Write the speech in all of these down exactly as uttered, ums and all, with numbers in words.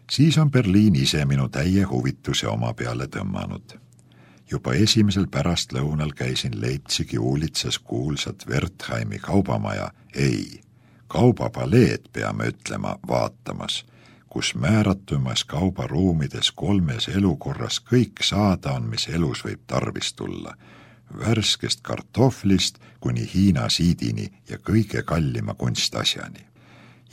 Siis on Berliin ise minu täie huvituse oma peale tõmmanud. Juba esimesel pärastlõunal käisin Leipzigi uulitsas kuulsat Wertheimi kaubamaja, ei, kaubapaleed peame ütlema vaatamas, kus määratumas kaubaruumides kolmes elukorras kõik saada on, mis elus võib tarvis tulla. Värskest kartohvlist kuni Hiina siidini ja kõige kallima kunstasjani.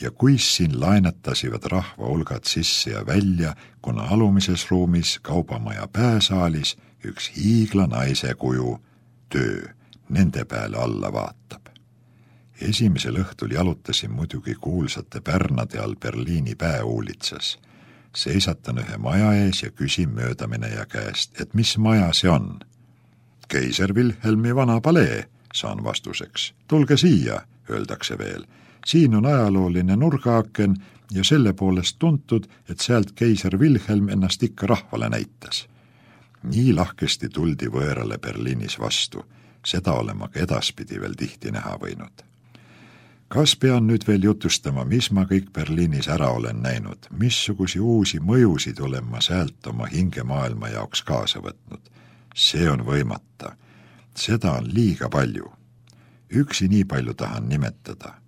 Ja kuis siin laenatasivad rahva hulgad sisse ja välja, kuna alumises ruumis kaubamaja pääsaalis üks hiigla naise kuju, töö, nende peale alla vaatab. Esimesel õhtul jalutasin muidugi kuulsate pärnade all Berliini pääuulitsas. Seisatan ühe maja ees ja küsin möödamineja käest, et mis maja see on? Keiser Wilhelmi vana palee, saan vastuseks. Tulge siia, öeldakse veel. Siin on ajalooline nurgaaken ja selle poolest tuntud, et sealt keiser Wilhelm ennast ikka rahvale näitas. Nii lahkesti tuldi võõrale Berliinis vastu. Seda olema ka edaspidi veel tihti näha võinud. Kas pean nüüd veel jutustama, mis ma kõik Berliinis ära olen näinud, missugusi uusi mõjusid olen ma sealt oma hingemaailma jaoks kaasa võtnud? See on võimata. Seda on liiga palju. Üksi nii palju tahan nimetada.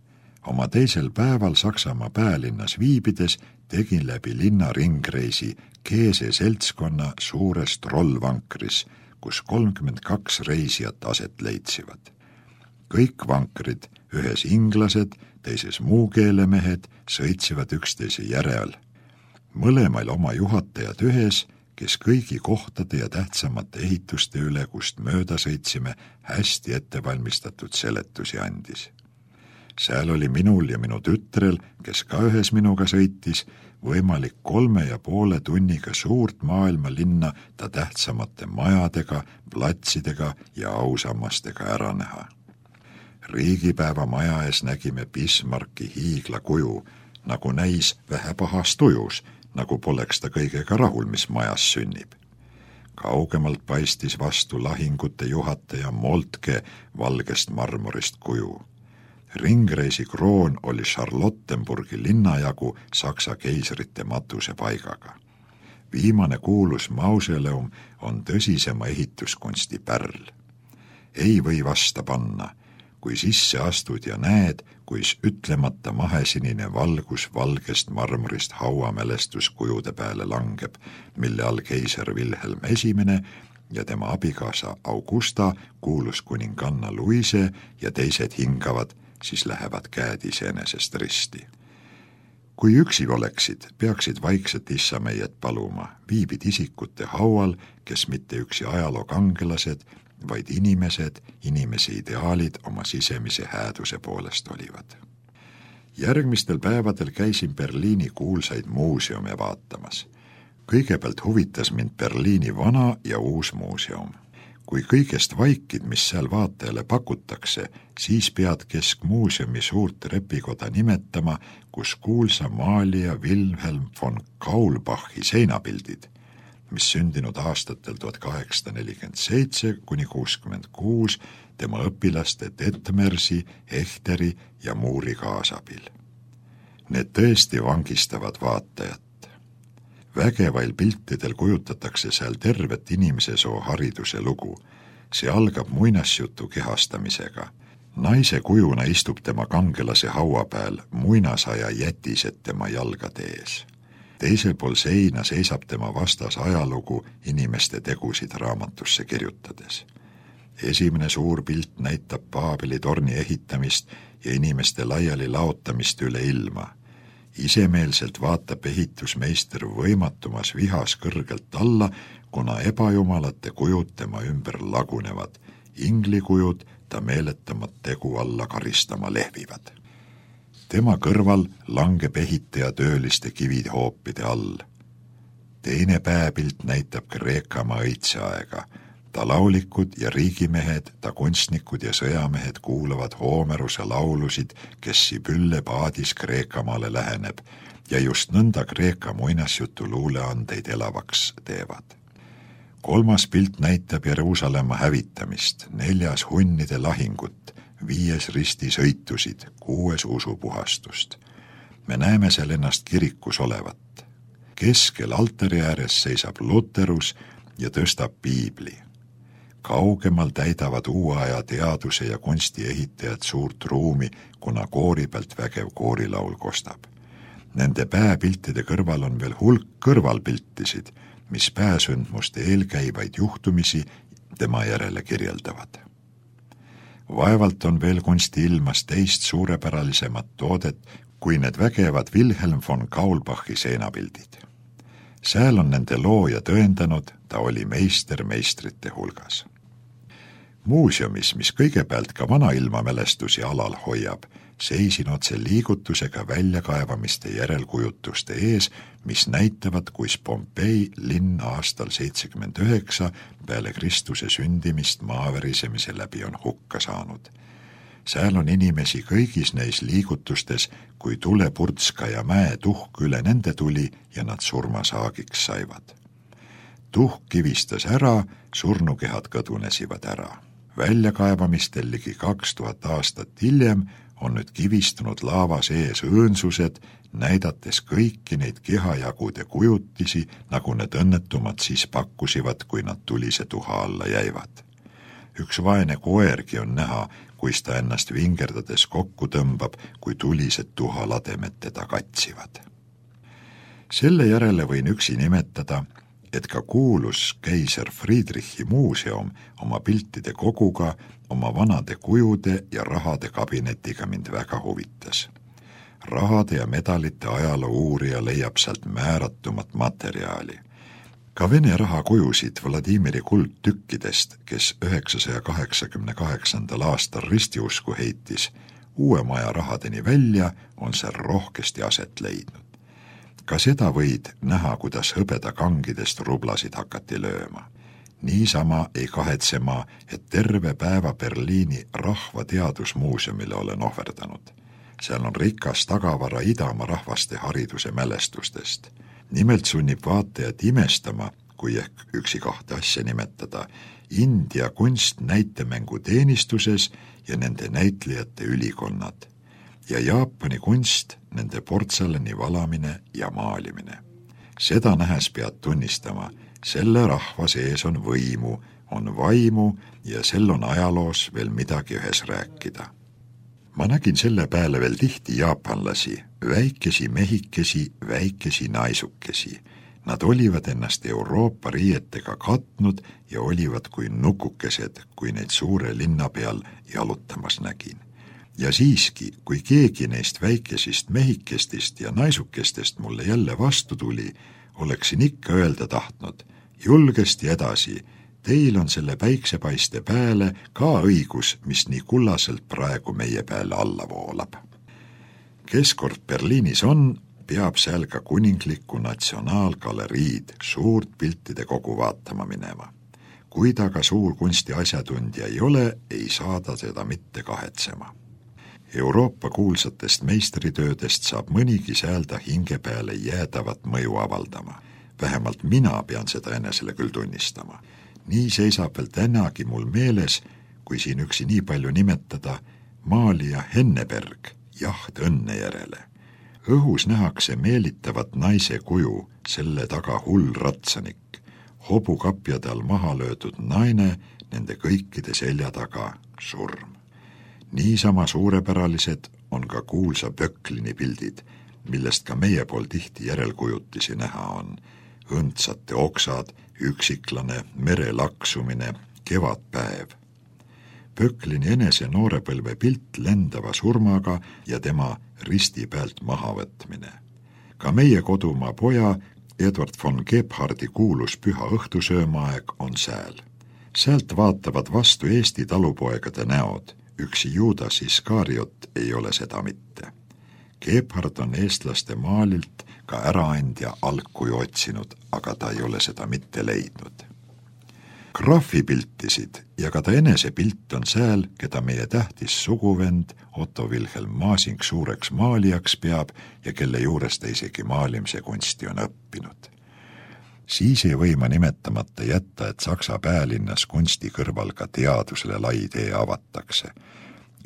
Oma teisel päeval Saksamaa päälinnas viibides tegin läbi linna ringreisi Keese seltskonna suures trollvankris, kus kolmkümmend kaks reisijat aset leitsivad. Kõik vankrid, ühes inglased, teises muukeelemehed, sõitsivad üksteise järel. Mõlemail oma juhatajad ühes, kes kõigi kohtade ja tähtsamate ehituste üle, kust mööda sõitsime, hästi ettevalmistatud seletusi andis. Seal oli minul ja minu tütrel, kes ka ühes minuga sõitis, võimalik kolme ja poole tunniga suurt maailma linna ta tähtsamate majadega, platsidega ja ausammastega ära näha. Riigipäeva maja ees nägime Bismarcki hiigla kuju, nagu näis vähe pahast tujus, nagu poleks ta kõigega rahul, mis majas sünnib. Kaugemalt paistis vastu lahingute juhataja Moltke valgest marmorist kuju. Ringreisi kroon oli Charlottenburgi linnajagu Saksa keisrite matuse paigaga. Viimane kuulus mausoleum on tõsisema ehituskunsti pärl. Ei või vasta panna, kui sisse astud ja näed, kuis ütlemata mahesinine valgus valgest marmorist hauamälestuskujude peale langeb, mille all keiser Wilhelm esimene ja tema abikaasa Augusta, kuulus kuninganna Luise ja teised hingavad, siis lähevad käed iseenesest risti. Kui üksi oleksid, peaksid vaikselt issa meiet paluma, viibid isikute haual, kes mitte üksi ajaloo kangelased, vaid inimesed, inimese ideaalid oma sisemise hääduse poolest olivad. Järgmistel päevadel käisin Berliini kuulsaid muuseume vaatamas. Kõigepealt huvitas mind Berliini vana ja uus muuseum. Kui kõigest vaikid, mis seal vaatajale pakutakse, siis pead keskmuuseumi suurt repikoda nimetama, kus kuulsa maalija Wilhelm von Kaulbachi seinapildid, mis sündinud aastatel tuhat kaheksasada nelikümmend seitse kuni kuuskümmend kuus tema õpilaste Detmersi, Echteri ja Muuri kaasabil. Need tõesti vangistavad vaatajat. Vägevail piltidel kujutatakse seal tervet inimese soo hariduse lugu. See algab muinasjutu kehastamisega. Naise kujuna istub tema kangelase haua peal, muinasaja jätised tema jalgade ees. Teisel pool seina seisab tema vastas ajalugu inimeste tegusid raamatusse kirjutades. Esimene suur pilt näitab Paabeli torni ehitamist ja inimeste laiali laotamist üle ilma. Isemeelselt vaatab ehitusmeister võimatumas vihas kõrgelt alla, kuna ebajumalate kujud tema ümber lagunevad. Inglikujud ta meeletamat tegu alla karistama lehvivad. Tema kõrval langeb ehitaja tööliste kivid hoopide all. Teine pääpilt näitab Kreekamaa õitseaega. Ta laulikud ja riigimehed, ta kunstnikud ja sõjamehed kuulavad Hoomeruse laulusid, kes Sibülle paadis Kreekamaale läheneb ja just nõnda Kreeka muinasjutu luuleandeid elavaks teevad. Kolmas pilt näitab Jeruusalemma hävitamist, neljas hunnide lahingut, viies ristisõitusid, kuues usupuhastust. Me näeme seal ennast kirikus olevat. Keskel altari ääres seisab Luterus ja tõstab piibli. Kaugemal täidavad uue aja teaduse ja kunsti ehitajad suurt ruumi, kuna koori pealt vägev koorilaul kostab. Nende pääpiltide kõrval on veel hulk kõrvalpiltisid, mis pääsündmuste eelkäivaid juhtumisi tema järele kirjeldavad. Vaevalt on veel kunsti ilmas teist suurepäralisemat toodet, kui need vägevad Wilhelm von Kaulbachi seenapildid. Sääl on nende looja tõendanud, ta oli meister meistrite hulgas. Muuseumis, mis kõigepealt ka vanailma mälestusi alal hoiab, seisin otse liigutusega väljakaevamiste järelkujutuste ees, mis näitavad, kuis Pompei linn aastal seitsekümmend üheksa peale Kristuse sündimist maaverisemise läbi on hukka saanud. Sääl on inimesi kõigis neis liigutustes, kui tulepurdska ja mäe tuhk üle nende tuli ja nad surmasaagiks saivad. Tuhk kivistas ära, surnukehad kõdunesivad ära. Väljakaevamistel ligi kaks tuhat aastat hiljem on nüüd kivistunud laava sees õõnsused, näidates kõiki neid kehajagude kujutisi, nagu need õnnetumad siis pakkusivad, kui nad tulise tuha alla jäivad. Üks vaene koergi on näha, kuis ta ennast vingerdades kokku tõmbab, kui tulised tuhalademed teda katsivad. Selle järele võin üksi nimetada, et ka kuulus keiser Friedrichi muuseum oma piltide koguga, oma vanade kujude ja rahade kabinetiga mind väga huvitas. Rahade ja medalite ajaloo uurija leiab sealt määratumat materjali. Ka Vene rahakujusid Vladimiri kuldtükkidest, kes üheksasaja kaheksakümne kaheksandal aastal ristiusku heitis, uue maja rahadeni välja on seal rohkesti aset leidnud. Ka seda võid näha, kuidas hõbeda kangidest rublasid hakati lööma. Niisama ei kahetse ma, et terve päeva Berliini rahvateadusmuuseumile olen ohverdanud. Seal on rikas tagavara Idamaa rahvaste hariduse mälestustest. Nimelt sunnib vaatajat imestama, kui ehk üksi kahte asja nimetada, India kunst näitemängu teenistuses ja nende näitlejate ülikonnad ja Jaapani kunst, nende portselani valamine ja maalimine. Seda nähes pead tunnistama, selle rahva sees on võimu, on vaimu ja sel on ajaloos veel midagi ühes rääkida. Ma nägin selle peale veel tihti jaapanlasi, väikesi mehikesi, väikesi naisukesi. Nad olivad ennast Euroopa riietega katnud ja olivad kui nukukesed, kui neid suure linna peal jalutamas nägin. Ja siiski, kui keegi neist väikesist mehikestist ja naisukestest mulle jälle vastu tuli, oleksin ikka öelda tahtnud, julgesti edasi, teil on selle päiksepaiste pääle ka õigus, mis nii kullaselt praegu meie peale alla voolab. Kes kord Berliinis on, peab seal ka kuninglikku natsionaalgaleriid suurt piltide kogu vaatama minema. Kui ta ka suur kunsti asjatundja ei ole, ei saa ta seda mitte kahetsema. Euroopa kuulsatest meistritöödest saab mõnigi säälda hinge peale jäädavat mõju avaldama. Vähemalt mina pean seda enesele küll tunnistama. Nii seisab veel tänagi mul meeles, kui siin üksi nii palju nimetada, maalija Henneberg, jaht õnne järele. Õhus nähakse meelitavat naise kuju, selle taga hull ratsanik, hobukapjade all maha löödud naine, nende kõikide selja taga surm. Niisama suurepäralised on ka kuulsa Böcklini pildid, millest ka meie pool tihti järelkujutisi näha on. Õndsate oksad, üksiklane, mere laksumine, kevadpäev. Böcklini enese noorepõlve pilt lendava surmaga ja tema risti pealt mahavõtmine. Ka meie kodumaa poja Edward von Gebhardi kuulus püha õhtusöömaaeg on sääl. Sealt vaatavad vastu Eesti talupoegade näod. Üksi Juudas Iskariot ei ole seda mitte. Gebhard on eestlaste maalilt ka äraandja algkuju otsinud, aga ta ei ole seda mitte leidnud. Graffi piltisid ja ka ta enese pilt on sääl, keda meie tähtis suguvend Otto Wilhelm Masing suureks maalijaks peab ja kelle juures ta isegi maalimise kunsti on õppinud. Siis ei või ma nimetamata jätta, et Saksa päälinnas kunsti kõrval ka teadusele lai tee avatakse.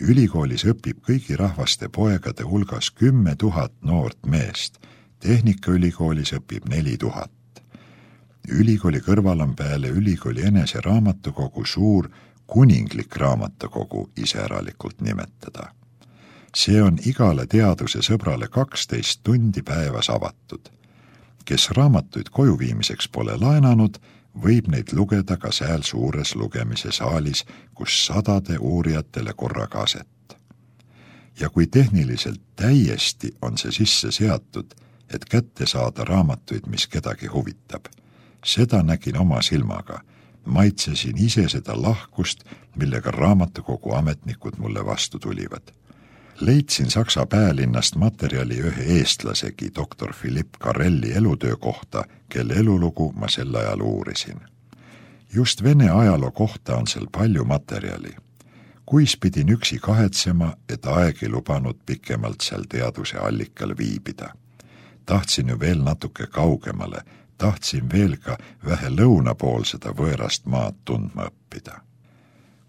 Ülikoolis õpib kõigi rahvaste poegade hulgas kümme tuhat noort meest, Tehnikaülikoolis õpib neli tuhat. Ülikooli kõrval on peale ülikooli enese raamatukogu suur kuninglik raamatukogu iseäralikult nimetada. See on igale teaduse sõbrale kaksteist tundi päevas avatud. Kes raamatuid koju viimiseks pole laenanud, võib neid lugeda ka sääl suures lugemise saalis, kus sadade uurijatele korraga aset. Ja kui tehniliselt täiesti on see sisse seatud, et kätte saada raamatuid, mis kedagi huvitab, seda nägin oma silmaga. Maitsesin ise seda lahkust, millega raamatukogu ametnikud mulle vastu tulivad. Leidsin Saksa päälinnast materjali ühe eestlasegi, doktor Philipp Karelli elutöö kohta, kelle elulugu ma sel ajal uurisin. Just Vene ajaloo kohta on seal palju materjali. Kuis pidin üksi kahetsema, et aeg ei lubanud pikemalt seal teaduse allikal viibida. Tahtsin ju veel natuke kaugemale, tahtsin veel ka vähe lõuna pool seda võõrast maad tundma õppida.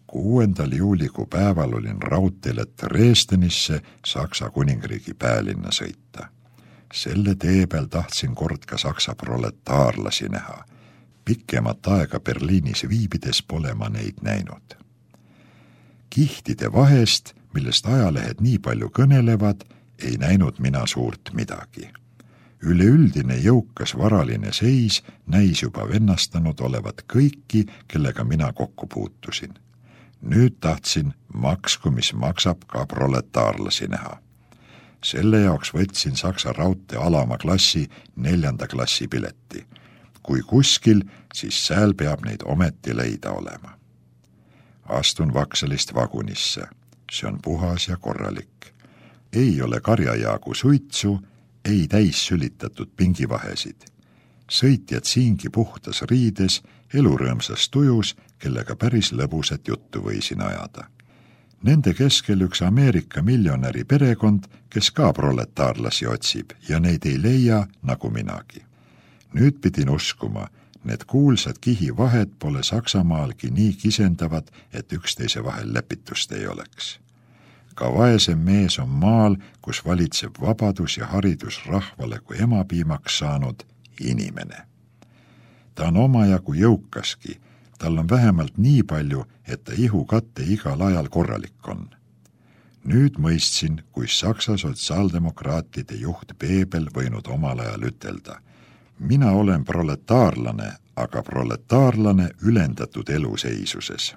Kuuendal juulikuu päeval olin raudteel, et Dresdenisse, Saksa kuningriigi päälinna sõita. Selle tee peal tahtsin kord ka Saksa proletaarlasi näha. Pikemat aega Berliinis viibides pole ma neid näinud. Kihtide vahest, millest ajalehed nii palju kõnelevad, ei näinud mina suurt midagi. Üleüldine jõukas varaline seis näis juba vennastanud olevat kõiki, kellega mina kokku puutusin. Nüüd tahtsin maksku, mis maksab ka proletaarlasi näha. Selle jaoks võtsin Saksa raudtee alama klassi neljanda klassi pileti. Kui kuskil, siis sääl peab neid ometi leida olema. Astun Vaksalist vagunisse. See on puhas ja korralik. Ei ole karjajaagu suitsu, ei täis sülitatud pingivahesid. Sõitjad siingi puhtas riides, elurõõmsas tujus, kellega päris lõbusat juttu võisin ajada. Nende keskel üks Ameerika miljonäri perekond, kes ka proletaarlasi otsib ja neid ei leia nagu minagi. Nüüd pidin uskuma, need kuulsad kihivahed pole Saksamaalgi nii kisendavad, et üksteise vahel lepitust ei oleks. Ka vaesem mees on maal, kus valitseb vabadus ja haridus rahvale kui emapiimaks saanud inimene. Ta on omajagu jõukaski, tal on vähemalt nii palju, et ta ihukatte igal ajal korralik on. Nüüd mõistsin, kui Saksa sotsiaaldemokraatide juht Bebel võinud omal ajal ütelda. Mina olen proletaarlane, aga proletaarlane ülendatud eluseisuses.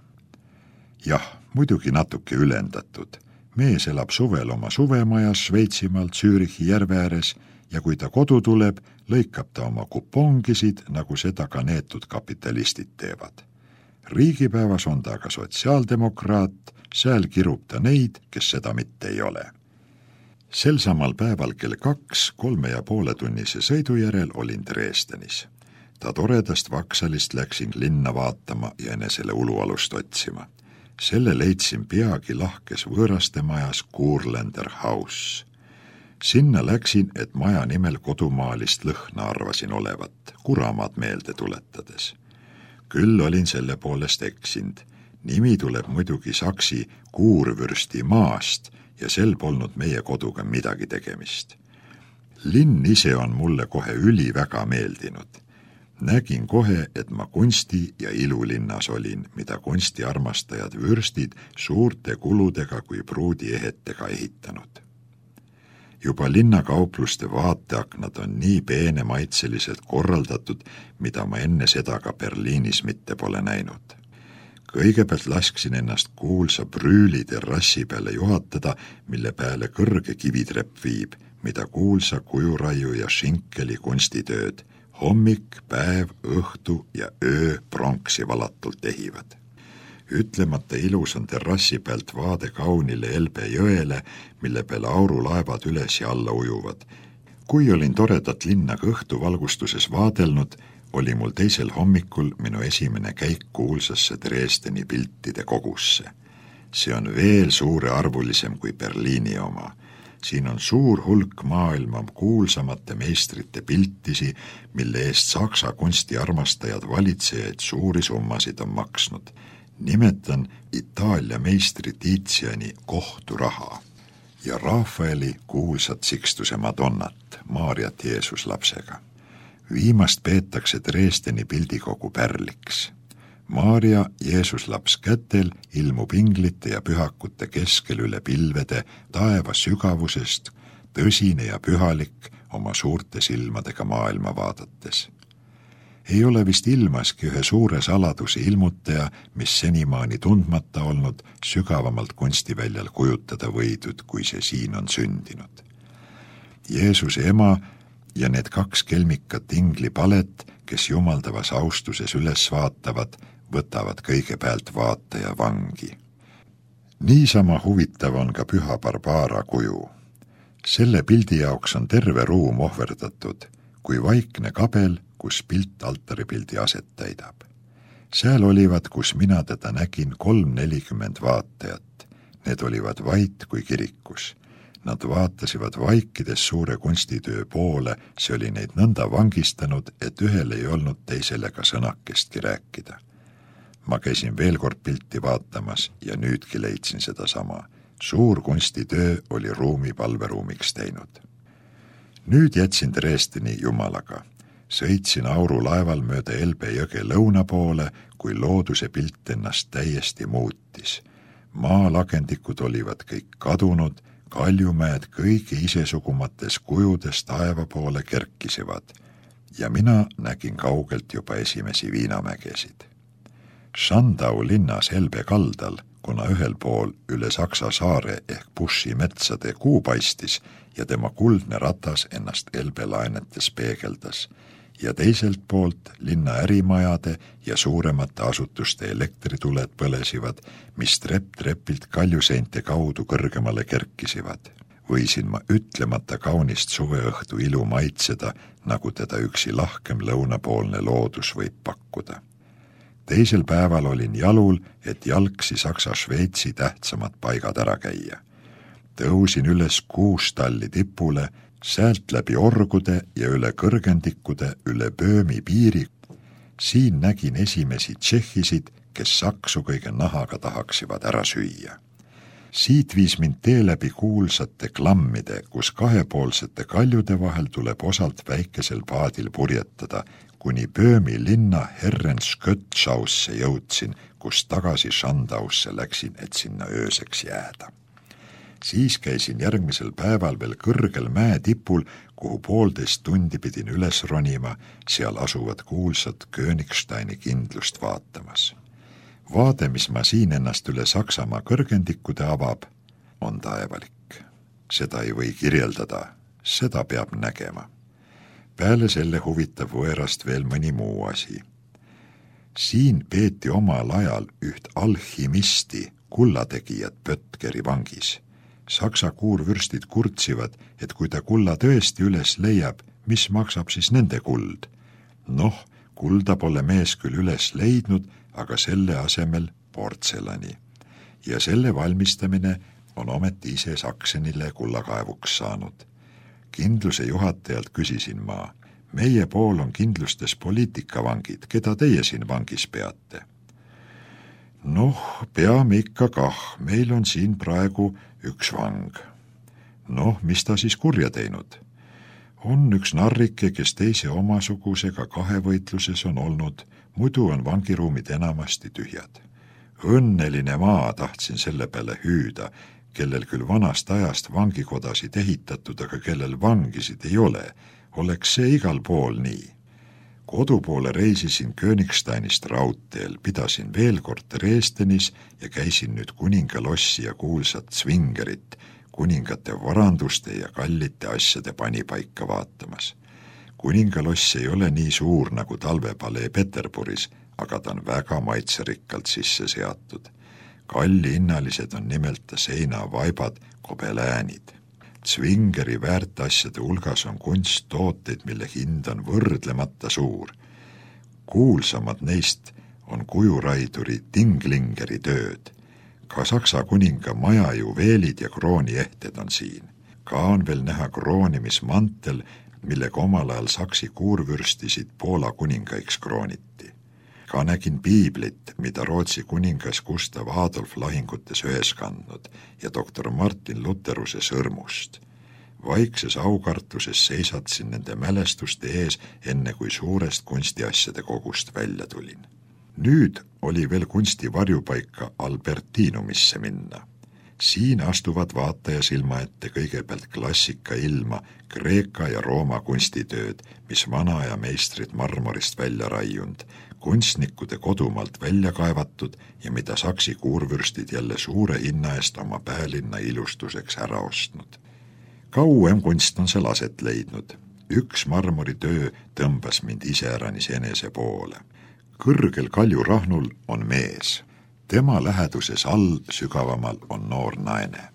Jah, muidugi natuke ülendatud. Mees elab suvel oma suvemajas Šveitsimaalt Zürichi järve ääres ja kui ta kodu tuleb, lõikab ta oma kupongisid, nagu seda ka neetud kapitalistid teevad. Riigipäevas on ta aga sotsiaaldemokraat, sääl kirub ta neid, kes seda mitte ei ole. Sel samal päeval kell kaks, kolme ja poole tunnise sõidu järel olin Dresdenis. Ta toredast Vaksalist läksin linna vaatama ja enesele ulualust otsima. Selle leidsin peagi lahkes võõraste majas Kurländer House. Sinna läksin, et maja nimel kodumaalist lõhna arvasin olevat, kuramaad meelde tuletades. Küll olin selle poolest eksind. Nimi tuleb muidugi saksi Kuurvürsti maast ja sel polnud meie koduga midagi tegemist. Linn ise on mulle kohe üli väga meeldinud. Nägin kohe, et ma kunsti ja ilulinnas olin, mida kunstiarmastajad vürstid suurte kuludega kui pruudi ehetega ehitanud. Juba linnakaupluste vaateaknad on nii peene maitseliselt korraldatud, mida ma enne seda ka Berliinis mitte pole näinud. Kõigepealt lasksin ennast kuulsa Brüüli terrassi peale juhatada, mille peale kõrge kivitrepp viib, mida kuulsa kujuraiu ja Schinkeli kunstitööd, hommik, päev, õhtu ja öö pronksi valatult ehivad. Ütlemata ilus on terrassi pealt vaade kaunile Elbe jõele, mille peale aurulaevad üles ja alla ujuvad. Kui olin toredat linna õhtuvalgustuses vaadelnud, oli mul teisel hommikul minu esimene käik kuulsasse Dresdeni piltide kogusse. See on veel suurearvulisem kui Berliini oma. Siin on suur hulk maailma kuulsamate meistrite piltisi, mille eest Saksa kunstiarmastajad valitsejaid suuri summasid on maksnud. Nimetan Itaalia meistri Tiziani kohturaha ja Rafaeli kuulsat Sixtuse Madonnat. Maarjat Jeesus lapsega. Viimast peetakse Dresdeni pildikogu pärliks. Maarja Jeesus laps kätel ilmub inglite ja pühakute keskel üle pilvede taeva sügavusest, tõsine ja pühalik oma suurte silmadega maailma vaadates. Ei ole vist ilmaski ühe suure saladuse ilmutaja, mis senimaani tundmata olnud, sügavamalt kunstiväljal kujutada võidud, kui see siin on sündinud. Jeesuse ema ja need kaks kelmikat inglipalet, kes jumaldavas austuses üles vaatavad, võtavad kõigepealt vaataja vangi. Niisama huvitav on ka püha Barbara kuju. Selle pildi jaoks on terve ruum ohverdatud, kui vaikne kabel, kus pilt altaripildi aset täidab. Seal olivad, kus mina teda nägin, kolm nelikümmend vaatajat. Need olivad vait kui kirikus. Nad vaatasivad vaikides suure kunstitöö poole, see oli neid nõnda vangistanud, et ühel ei olnud teisele ka sõnakestki rääkida. Ma käisin veel kord pilti vaatamas ja nüüdki leidsin seda sama. Suur kunstitöö oli ruumi palveruumiks teinud. Nüüd jätsin Dresdeni jumalaga. Sõitsin aurulaeval mööda Elbe jõge lõuna poole, kui looduse pilt ennast täiesti muutis. Maalagendikud olivad kõik kadunud, kaljumäed kõigi isesugumates kujudes taeva poole kerkisivad ja mina nägin kaugelt juba esimesi viinamägesid. Schandau linnas Elbe kaldal, kuna ühel pool üle Saksa saare ehk Bussi metsade kuu paistis ja tema kuldne ratas ennast Elbe lainetes peegeldas, ja teiselt poolt linna ärimajade ja suuremate asutuste elektrituled põlesivad, mis trepp-trepilt kaljuseinte kaudu kõrgemale kerkisivad. Võisin ma ütlemata kaunist suveõhtu ilu maitseda, nagu teda üksi lahkem lõunapoolne loodus võib pakkuda. Teisel päeval olin jalul, et jalgsi Saksa-Šveitsi tähtsamad paigad ära käia. Tõusin üles Kuustalli tipule, säält läbi orgude ja üle kõrgendikude üle Böömi piiri. Siin nägin esimesi tšehhisid, kes saksu kõige nahaga tahaksivad ära süüa. Siit viis mind tee läbi kuulsate klammide, kus kahepoolsete kaljude vahel tuleb osalt väikesel paadil purjetada, kuni Böömi linna Herrenskjötschausse jõudsin, kus tagasi Schandausse läksin, et sinna ööseks jääda. Siis käisin järgmisel päeval veel kõrgel mäe tipul, kuhu poolteist tundi pidin üles ronima, seal asuvad kuulsad Königsteini kindlust vaatamas. Vaade, mis ma siin ennast üle Saksamaa kõrgendikude avab, on taevalik. Seda ei või kirjeldada, seda peab nägema. Peale selle huvitab võerast veel mõni muu asi. Siin peeti omal ajal üht alchimisti, kullategijat Pötkeri vangis. Saksa kuurvürstid kurtsivad, et kui ta kulla tõesti üles leiab, mis maksab siis nende kuld? Noh, kulda pole mees küll üles leidnud, aga selle asemel portselani. Ja selle valmistamine on ometi ise Saksenile kullakaevuks saanud. Kindluse juhatajalt küsisin ma, meie pool on kindlustes poliitikavangid, keda teie siin vangis peate? Noh, peame ikka kah, meil on siin praegu üks vang. Noh, mis ta siis kurja teinud? On üks narrike, kes teise omasugusega kahevõitluses on olnud, muidu on vangiruumid enamasti tühjad. Õnneline maa, tahtsin selle peale hüüda, kellel küll vanast ajast vangikodasid ehitatud, aga kellel vangisid ei ole, oleks see igal pool nii. Kodupoole reisisin Königsteinist raudteel, pidasin veel kord Dresdenis ja käisin nüüd kuningalossi ja kuulsat Zwingerit, kuningate varanduste ja kallite asjade panipaika vaatamas. Kuningaloss ei ole nii suur nagu talvepalee Peterburis, aga ta on väga maitserikkalt sisse seatud. Kallihinnalised on nimelt seinavaibad, kobeläänid. Zwingeri väärtasjade hulgas on kunsttooteid, mille hind on võrdlemata suur. Kuulsamad neist on kujuraiduri Dinglingeri tööd. Ka Saksa kuninga maja juveelid ja krooniehted on siin. Ka on veel näha kroonimismantel, millega omal ajal saksi kuurvürstisid Poola kuningaiks krooniti. Ka nägin piiblit, mida Rootsi kuningas Gustav Adolf lahingutes ühes kandnud ja doktor Martin Lutheruse sõrmust. Vaikses aukartuses seisatsin nende mälestuste ees, enne kui suurest kunstiasjade kogust välja tulin. Nüüd oli veel kunsti varjupaika Albertinumisse minna. Siin astuvad vaataja silma ette kõigepealt klassika ilma, Kreeka ja Rooma kunstitööd, mis vanaaja meistrid marmorist välja raiund, kunstnikude kodumaalt välja kaevatud ja mida saksi kuurvürstid jälle suure hinna eest oma päälinna ilustuseks ära ostnud. Kauem kunst on seal aset leidnud. Üks marmoritöö tõmbas mind iseäranis enese poole. Kõrgel kaljurahnul on mees. Tema läheduses all sügavamal on noor naine.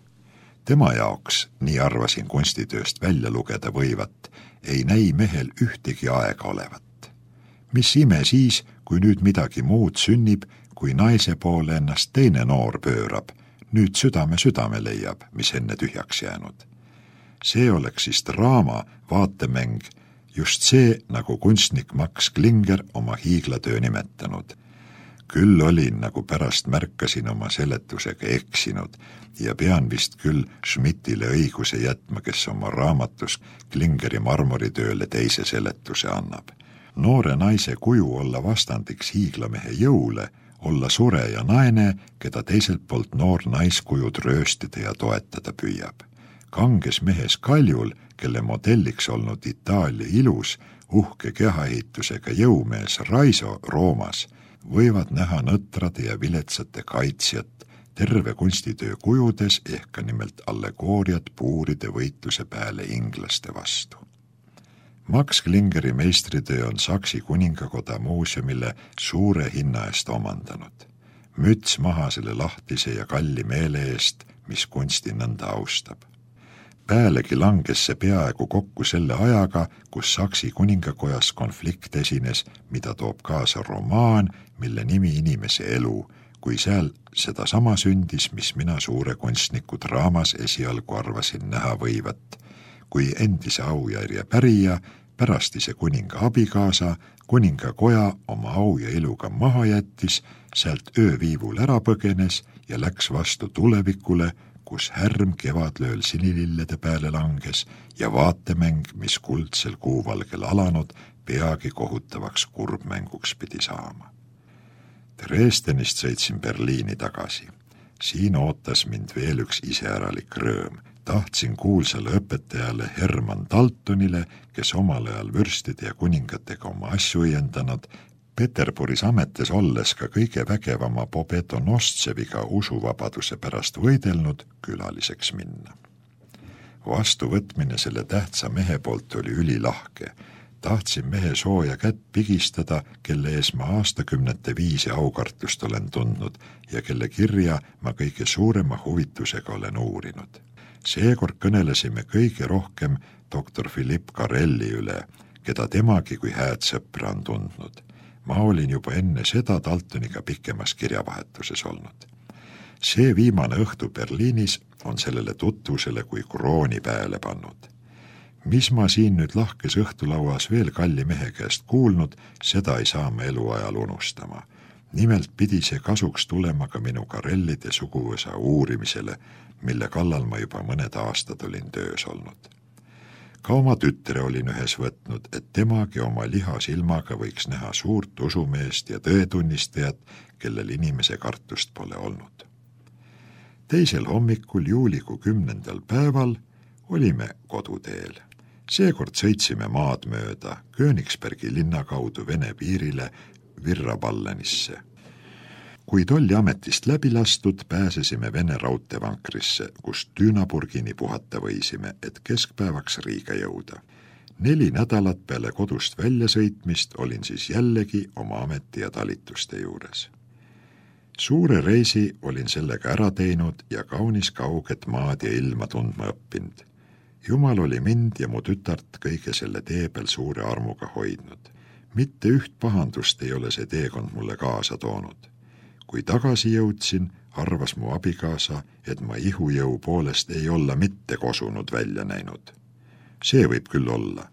Tema jaoks, nii arvasin kunstitööst välja lugeda võivat, ei näi mehel ühtegi aega olevat. Mis ime siis, kui nüüd midagi muud sünnib, kui naise poole ennast teine noor pöörab, nüüd südame südame leiab, mis enne tühjaks jäänud. See oleks siis draama, vaatemäng, just see, nagu kunstnik Max Klinger oma hiiglatöö nimetanud. Küll olin, nagu pärast märkasin oma seletusega eksinud ja pean vist küll Schmidtile õiguse jätma, kes oma raamatus Klingeri marmoritööle teise seletuse annab. Noore naise kuju olla vastandiks hiiglamehe jõule, olla sure ja naine, keda teiselt poolt noor naiskujud rööstida ja toetada püüab. Kanges mehes kaljul, kelle modelliks olnud Itaalia ilus, uhke kehaehitusega jõumees Raiso Roomas, võivad näha nõtrade ja viletsate kaitsjat terve kunstitöö kujudes ehk ka nimelt allegooriat puuride võitluse pääle inglaste vastu. Max Klingeri meistritöö on Saksi kuningakoda muuseumile suure hinna eest omandanud. Müts maha selle lahtise ja kalli meele eest, mis kunsti nõnda austab. Päälegi langes see peaaegu kokku selle ajaga, kus Saksi kuningakojas konflikt esines, mida toob kaasa romaan, mille nimi inimese elu, kui seal seda sama sündis, mis mina suure kunstniku draamas esialgu arvasin näha võivat, kui endise aujärje pärija, pärastise kuninga abikaasa, kuningakoja oma au ja iluga maha jättis, sealt ööviivul ära põgenes ja läks vastu tulevikule, kus härm kevadlööl sinilillede pääle langes ja vaatemäng, mis kuldsel kuuvalgel alanud, peagi kohutavaks kurbmänguks pidi saama. Dresdenist sõitsin Berliini tagasi. Siin ootas mind veel üks iseäralik rööm. Tahtsin kuulsale õpetajale Herman Daltonile, kes omal ajal vürstide ja kuningatega oma asju õiendanud, Peterburis ametes olles ka kõige vägevama Pobedonosceviga usuvabaduse pärast võidelnud külaliseks minna. Vastuvõtmine selle tähtsa mehe poolt oli ülilahke. Tahtsin mehe sooja kätt pigistada, kelle ees ma aastakümnete viisi aukartust olen tundnud ja kelle kirja ma kõige suurema huvitusega olen uurinud. Seekord kõnelesime kõige rohkem doktor Philippe Carrelli üle, keda temagi kui hääd sõpra on tundnud. Ma olin juba enne seda Daltoniga pikemas kirjavahetuses olnud. See viimane õhtu Berliinis on sellele tutvusele kui krooni pääle pannud. Mis ma siin nüüd lahkes õhtulauas veel kalli mehe käest kuulnud, seda ei saa ma eluajal unustama. Nimelt pidi see kasuks tulema ka minu Carrellide suguvõsa uurimisele, mille kallal ma juba mõned aastad olin töös olnud. Ka oma tütre olin ühes võtnud, et temagi oma lihasilmaga võiks näha suurt usumeest ja tõetunnistajat, kellel inimese kartust pole olnud. Teisel hommikul juulikuu kümnendal päeval olime koduteel. Seekord sõitsime maad mööda Königsbergi linna kaudu Vene piirile Virrapallenisse. Kui tolli ametist läbi lastud, pääsesime Vene raudteevankrisse, kus Dünaburgini puhata võisime, et keskpäevaks Riiga jõuda. Neli nädalat peale kodust väljasõitmist olin siis jällegi oma ameti ja talituste juures. Suure reisi olin sellega ära teinud ja kaunis kauget maad ja ilma tundma õppinud. Jumal oli mind ja mu tütart kõige selle tee peal suure armuga hoidnud. Mitte üht pahandust ei ole see teekond mulle kaasa toonud. Kui tagasi jõudsin, arvas mu abikaasa, et ma ihujõu poolest ei olla mitte kosunud välja näinud. See võib küll olla.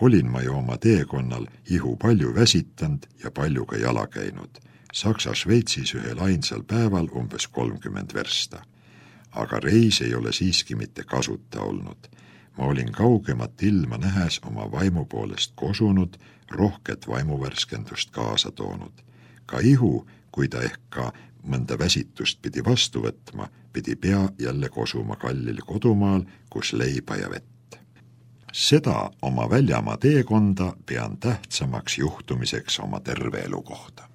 Olin ma ju oma teekonnal ihu palju väsitanud ja palju ka jala käinud. Saksa-Šveitsis ühel ainsal päeval umbes kolmkümmend versta. Aga reis ei ole siiski mitte kasuta olnud. Ma olin kaugemat ilma nähes oma vaimu poolest kosunud, rohket vaimuvärskendust kaasa toonud. Ka ihu, kui ta ehk ka mõnda väsitust pidi vastu võtma, pidi pea jälle kosuma kallil kodumaal, kus leiba ja vett. Seda oma väljamaa teekonda pean tähtsamaks juhtumiseks oma terve elu kohta.